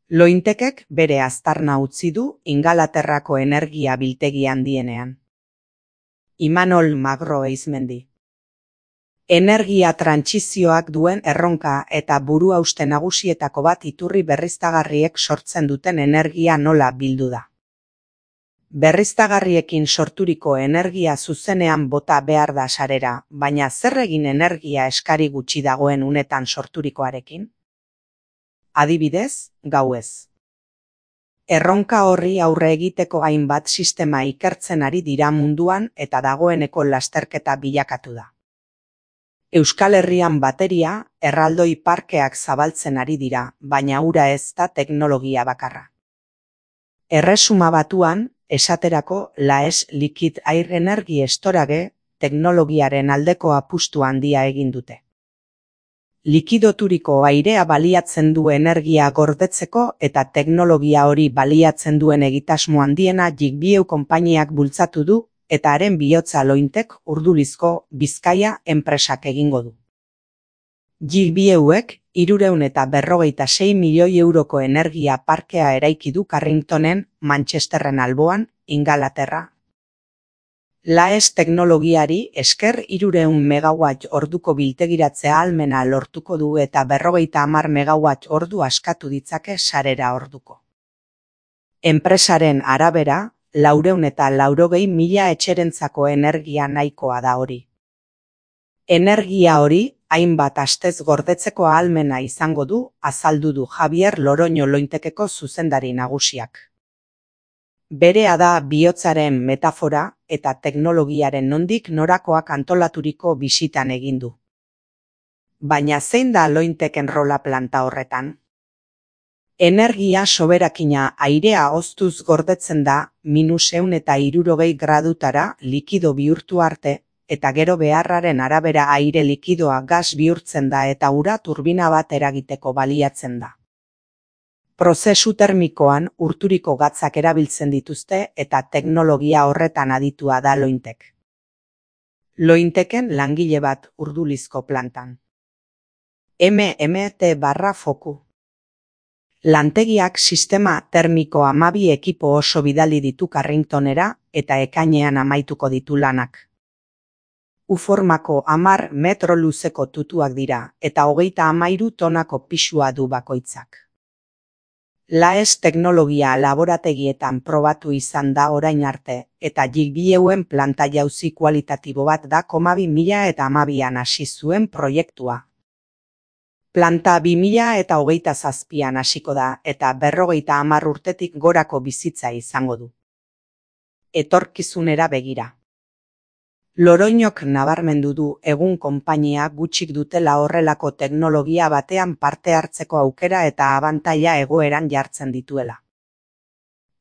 Lointekek bere aztarna utzi du Ingalaterrako energia biltegi handienean. Imanol Magro Eizmendi. Energia trantsizioak duen erronka eta buruhauste nagusietako bat iturri berriztagarriek sortzen duten energia nola bildu da. Berriztagarriekin sorturiko energia zuzenean bota behar da sarera, baina zer egin energia eskari gutxi dagoen unetan sorturikoarekin? Adibidez, gauez. Erronka horri aurre egiteko hainbat sistema ikertzen ari dira munduan eta dagoeneko lasterketa bilakatu da. Euskal Herrian bateria, erraldoi parkeak zabaltzen ari dira, baina hura ez da teknologia bakarra. Erresuma Batuan, esaterako LAES Liquid Air Energy Storage teknologiaren aldeko apustu handia egin dute. Likidoturiko airea baliatzen du energia gordetzeko eta teknologia hori baliatzen duen egitasmo handiena Jigbio konpainiak bultzatu du eta haren bihotza Lointek Urdulizko Bizkaia enpresak egingo du. Jigbioek 356 milioi euroko energia parkea eraiki du Carringtonen, Manchesterren alboan, Ingalaterra. LAES teknologiari esker 300 megawatt orduko biltegiratzea ahalmena lortuko du eta 50 megawatt ordu askatu ditzake sarera orduko. Enpresaren arabera, 480.000 etxerentzako energia nahikoa da hori. Energia hori, hainbat astez gordetzeko ahalmena izango du, azaldu du Javier Loroño Lointekeko zuzendari nagusiak. Berea da bihotzaren metafora eta teknologiaren nondik norakoak antolaturiko bisitan egin du. Baina zein da Lointeken rola planta horretan? Energia soberakina airea hoztuz gordetzen da -160 gradutara likido bihurtu arte, eta gero beharraren arabera aire likidoa gas bihurtzen da eta ura turbina bat eragiteko baliatzen da. Prozesu termikoan urturiko gatzak erabiltzen dituzte eta teknologia horretan aditua da Lointek. Lointeken langile bat Urdulizko plantan. MMT/foku. Lantegiak sistema termiko 12 ekipo oso bidali ditu Carringtonera eta ekainean amaituko ditu lanak. U-formako 10 metro luzeko tutuak dira eta 33 tonako pisua du bakoitzak. LAES teknologia laborategietan probatu izan da orain arte, eta Jigbioen planta jauzi kualitatibo bat da 2012an hasi zuen proiektua. Planta 2027an hasiko da eta 50 urtetik gorako bizitza izango du. Etorkizunera begira. Loroñok nabarmendu du egun konpainia gutxik dutela horrelako teknologia batean parte hartzeko aukera eta abantaila egoeran jartzen dituela.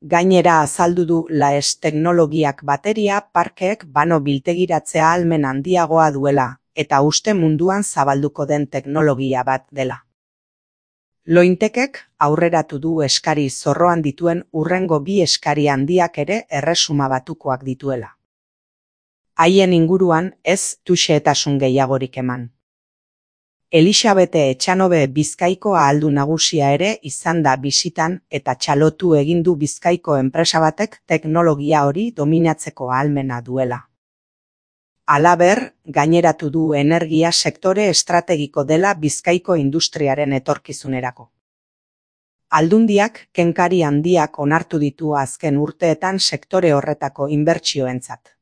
Gainera azaldu du LAES teknologiak bateria parkeek bano biltegiratzea ahalmen handiagoa duela, eta uste munduan zabalduko den teknologia bat dela. Lointekek aurreratu du eskari zorroan dituen hurrengo 2 eskari handiak ere Erresuma Batukoak dituela. Haien inguruan ez du xehetasun gehiagorik eman. Elisabete Etxanobe Bizkaiko ahaldun nagusia ere izan da bisitan eta txalotu egin du Bizkaiko enpresa batek teknologia hori dominatzeko ahalmena duela. Halaber, gaineratu du energia sektore estrategiko dela Bizkaiko industriaren etorkizunerako. Aldundiak kenkari handiak onartu ditu azken urteetan sektore horretako inbertsioentzat.